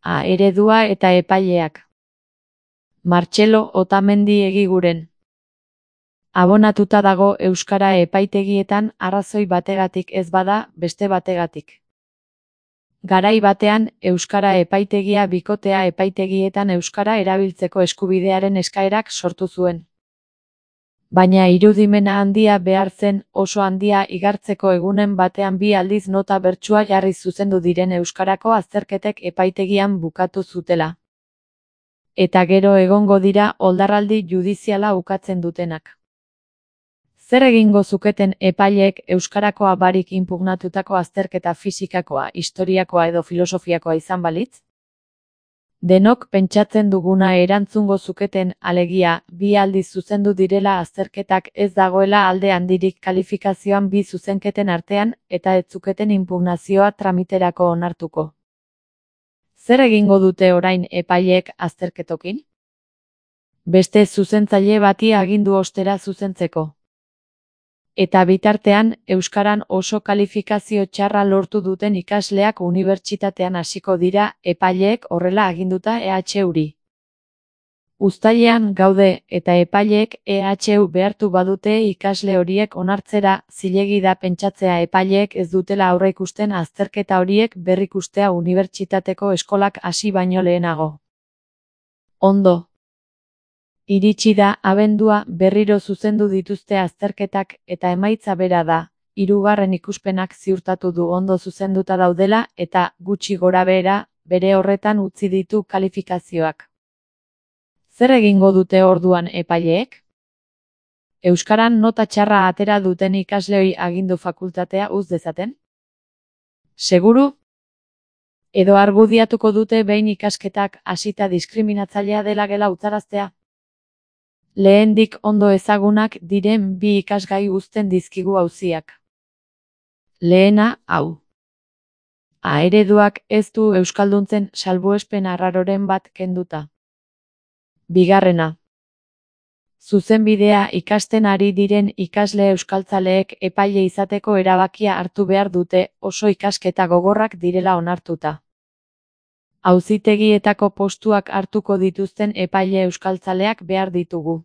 A eredua eta epaileak. Martxelo Otamendi Egiguren. Abonatuta dago euskara epaitegietan arrazoi bategatik ez bada beste bategatik. Garai batean, euskara epaitegia bikotea epaitegietan euskara erabiltzeko eskubidearen eskaerak sortu zuen. Baina irudimena handia behar zen, oso handia igartzeko egunen batean 2 aldiz nota bertsua jarri zuzendu diren euskarako azterketek epaitegian bukatu zutela. Eta gero egongo dira oldarraldi judiziala ukatzen dutenak. Zer egingo zuketen epaileek euskarakoa barik inpugnatutako azterketa fisikakoa, historiakoa edo filosofiakoa izan balitz? Denok pentsatzen duguna erantzungo zuketen, alegia, 2 aldiz zuzendu direla azterketak ez dagoela alde handirik kalifikazioan 2 zuzenketen artean eta ez zuketen inpugnazioa tramiterako onartuko. Zer egingo dute orain epaileek azterketokin? Beste zuzentzaile bati agindu ostera zuzentzeko. Eta bitartean, euskaran oso kalifikazio txarra lortu duten ikasleak unibertsitatean hasiko dira, epaileek horrela aginduta EHUri. Uztailean gaude, eta epaileek EHU behartu badute ikasle horiek onartzera, zilegi da pentsatzea epaileek ez dutela aurreikusten azterketa horiek berrikustea unibertsitateko eskolak hasi baino lehenago. Ondo. Iritsi da abendua, berriro zuzendu dituzte azterketak eta emaitza bera da, 3. ikuspenak ziurtatu du ondo zuzenduta daudela eta, gutxi gorabehera, bere horretan utzi ditu kalifikazioak. Zer egingo dute orduan epaileek? Euskaran nota txarra atera duten ikasleoi agindu fakultatea uz dezaten? Seguru? Edo argudiatuko dute behin ikasketak hasita diskriminatzailea dela gela utzaraztea? Lehendik ondo ezagunak diren 2 ikasgai uzten dizkigu auziak. Lehena, hau. A ereduak ez du euskalduntzen salbuespen arraroren bat kenduta. Bigarrena. Zuzenbidea ikasten ari diren ikasle euskaltzaleek epaile izateko erabakia hartu behar dute, oso ikasketa gogorrak direla onartuta. Auzitegietako postuak hartuko dituzten epaile euskaltzaleak behar ditugu.